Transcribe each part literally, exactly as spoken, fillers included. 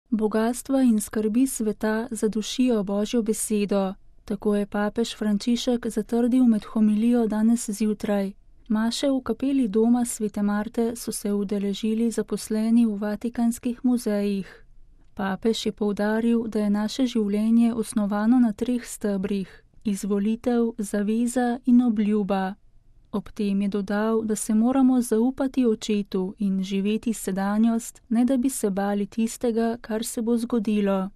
Bogastva in skrbi sveta zadušijo Božjo besedo. Tako je papež Frančišek zatrdil med homilijo danes zjutraj. Maše v kapeli doma Svete Marte so se udeležili zaposleni v vatikanskih muzejih. Papež je poudaril, da je naše življenje osnovano na treh stebrih: izvolitev, zaveza in obljuba. Ob tem je dodal, da se moramo zaupati očetu in živeti sedanjost, ne da bi se bali tistega, kar se bo zgodilo.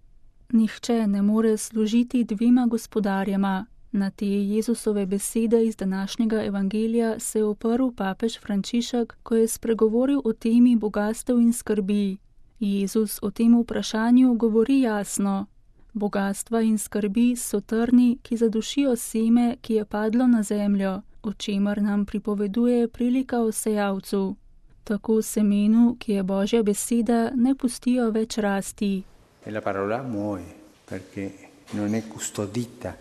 Nihče ne more služiti dvema gospodarjema. Na te Jezusove besede iz današnjega evangelija se je oprl papež Frančišek, ko je spregovoril o temi bogastev in skrbi. Jezus o tem vprašanju govori jasno. Bogastva in skrbi so trni, ki zadušijo seme, ki je padlo na zemljo, o čemer nam pripoveduje prilika o sejalcu. Tako semenu, ki je Božja beseda, ne pustijo več rasti. E la parola muore, perché non è custodita,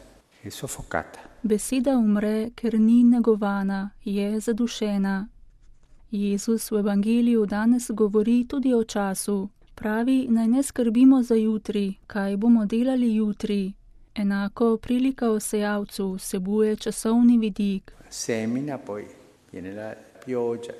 è soffocata. Beseda umre, ker ni negovana, je zadušena. Jezus v evangeliju danes govori tudi o času. Pravi, naj ne skrbimo za jutri, kaj bomo delali jutri. Enako prilika o sejalcu vsebuje časovni vidik. Semina, poi viene la pioggia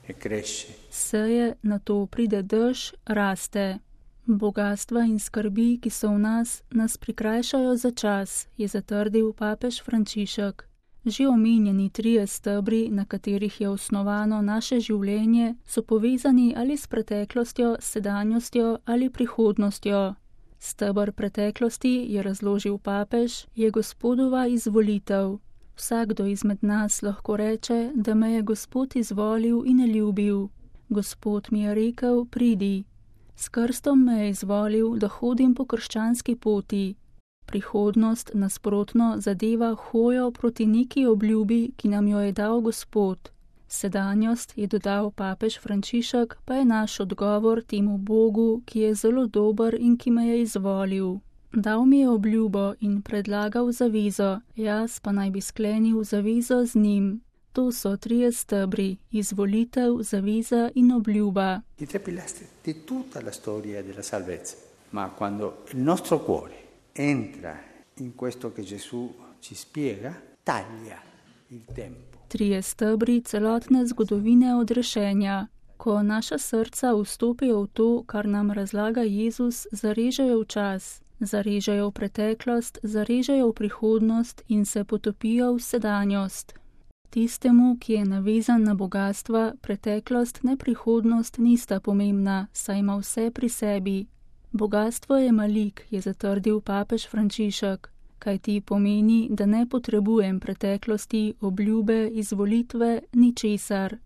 e cresce. Seje, nato pride dež, raste. Bogastva in skrbi, ki so v nas, nas prikrajšajo za čas, je zatrdil papež Frančišek. Že omenjeni trije stebri, na katerih je osnovano naše življenje, so povezani ali s preteklostjo, sedanjostjo ali prihodnostjo. Steber preteklosti, je razložil papež, je Gospodova izvolitev. Vsakdo izmed nas lahko reče, da me je Gospod izvolil in ljubil. Gospod mi je rekel, pridi. S krstom me je izvolil, da hodim po krščanski poti. Prihodnost nasprotno zadeva hojo proti neki obljubi, ki nam jo je dal Gospod. Sedanjost, je dodal papež Frančišek, pa je naš odgovor temu Bogu, ki je zelo dober in ki me je izvolil. Dal mi je obljubo in predlagal zavezo, jaz pa naj bi sklenil zavezo z njim. To so trije stebri: izvolitev, zaveza in obljuba. I tre pilastri di tutta la storia della salvezza. Ma quando il nostro cuore entra in questo che Gesù ci spiega, taglia il tempo. Trije stebri celotne zgodovine odrešenja. Ko naša srca vstopijo v to, kar nam razlaga Jezus, zarežejo v čas, zarežejo v preteklost, zarežejo v prihodnost in se potopijo v sedanjost. Tistemu, ki je navezan na bogastva, preteklost ne prihodnost nista pomembna, saj ima vse pri sebi. Bogastvo je malik, je zatrdil papež Frančišek, kaj ti pomeni, da ne potrebujem preteklosti, obljube, izvolitve, ničesar.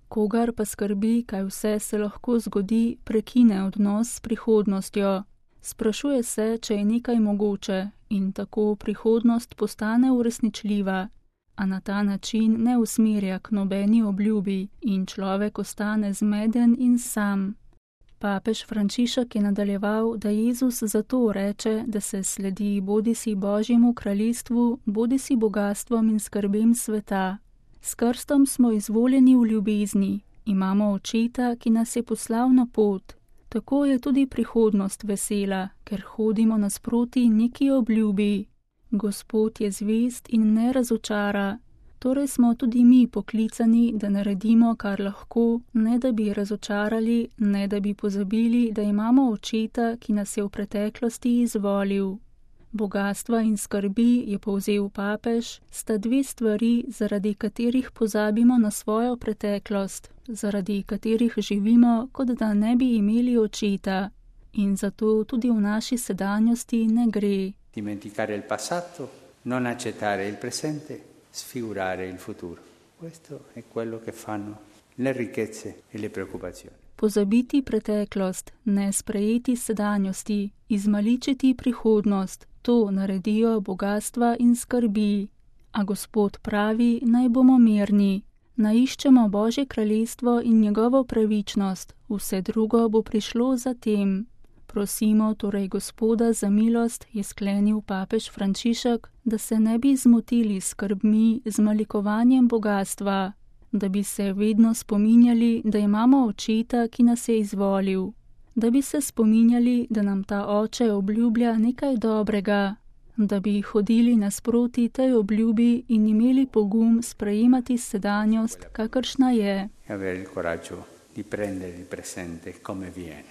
Kogar pa skrbi, kaj vse se lahko zgodi, prekine odnos s prihodnostjo. Sprašuje se, če je nekaj mogoče, in tako prihodnost postane uresničljiva. A na ta način ne usmerja k nobeni obljubi in človek ostane zmeden in sam. Papež Frančišek je nadaljeval, da Jezus zato reče, da se sledi bodisi Božjemu kraljestvu, bodisi bogastvom in skrbem sveta. S krstom smo izvoljeni v ljubezni, imamo očeta, ki nas je poslal na pot. Tako je tudi prihodnost vesela, ker hodimo nasproti neki obljubi. Gospod je zvest in ne razočara, torej smo tudi mi poklicani, da naredimo, kar lahko, ne da bi razočarali, ne da bi pozabili, da imamo očeta, ki nas je v preteklosti izvolil. Bogastva in skrbi, je povzel papež, sta dve stvari, zaradi katerih pozabimo na svojo preteklost, zaradi katerih živimo, kot da ne bi imeli očeta. In zato tudi v naši sedanjosti ne gre. Dimenticare il passato, non accettare il presente, sfigurare il futuro. Questo è quello che fanno le ricchezze e le preoccupazioni. Pozabiti preteklost, ne sprejeti sedanjosti, izmaličiti prihodnost, to naredijo bogastva in skrbi. A Gospod pravi, naj bomo mirni, naiščemo Božje kraljestvo in njegovo pravičnost, vse drugo bo prišlo za tem. Prosimo torej Gospoda za milost, je sklenil papež Frančišek, da se ne bi zmotili s skrbmi, z malikovanjem bogastva, da bi se vedno spominjali, da imamo očeta, ki nas je izvolil. da bi se spominjali, da nam ta oče obljublja nekaj dobrega, da bi hodili nasproti tej obljubi in imeli pogum sprejemati sedanjost, kakršna je. E avere il coraggio di prendere il presente come viene.